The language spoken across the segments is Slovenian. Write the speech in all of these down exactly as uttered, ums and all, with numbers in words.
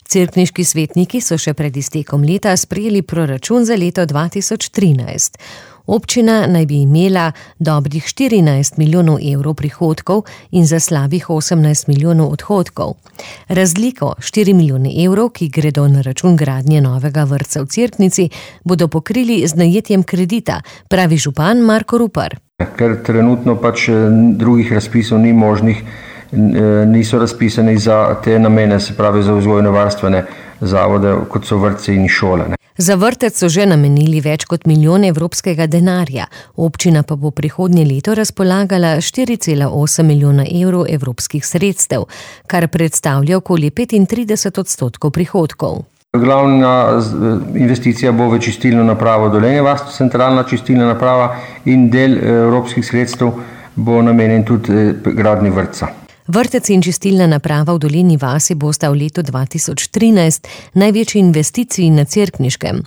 Cerkniški svetniki so še pred iztekom leta sprejeli proračun za leto dva tisoč trinajst. Občina naj bi imela dobrih štirinajst milijonov evrov prihodkov in za slabih osemnajst milijonov odhodkov. Razliko štiri milijone evrov, ki gredo na račun gradnje novega vrtca v Cerknici, bodo pokrili z najetjem kredita, pravi župan Marko Rupar. Ker trenutno pač drugih razpisov ni možnih, niso razpisani za te namene, se pravi za vzgojno-varstvene zavode, kot so vrtci in šole. Ne. Za vrtec so že namenili več kot milijon evropskega denarja, občina pa bo prihodnje leto razpolagala štiri cela osem milijona evrov evropskih sredstev, kar predstavlja okoli petintrideset odstotkov prihodkov. Glavna investicija bo v čistilno napravo Dolenje vas, centralna čistilna naprava, in del evropskih sredstev bo namenjen tudi gradnji vrtca. Vrtec in čistilna naprava v Dolenji vasi bosta v letu dva tisoč trinajst največji investiciji na Cerkniškem.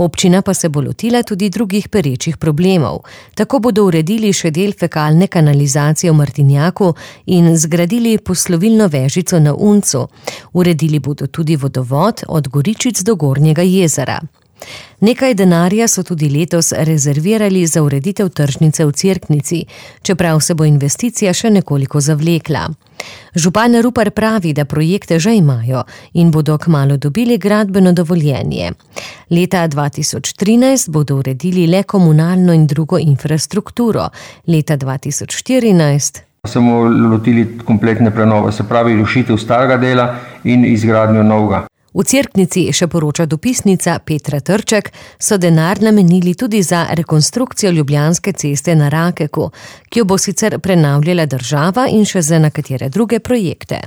Občina pa se bo lotila tudi drugih perečih problemov. Tako bodo uredili še del fekalne kanalizacije v Martinjaku in zgradili poslovilno vežico na Uncu. Uredili bodo tudi vodovod od Goričic do Gornjega jezera. Nekaj denarja so tudi letos rezervirali za ureditev tržnice v Cerknici, čeprav se bo investicija še nekoliko zavlekla. Župan Rupar pravi, da projekte že imajo in bodo kmalu dobili gradbeno dovoljenje. Leta dva tisoč trinajst bodo uredili le komunalno in drugo infrastrukturo, leta dva tisoč štirinajst se bomo lotili kompletne prenove, se pravi rušitev starega dela in izgradnjo novega. V Cerknici, še poroča dopisnica Petra Trček, so denar namenili tudi za rekonstrukcijo Ljubljanske ceste na Rakeku, ki jo bo sicer prenavljala država in še za nekatere druge projekte.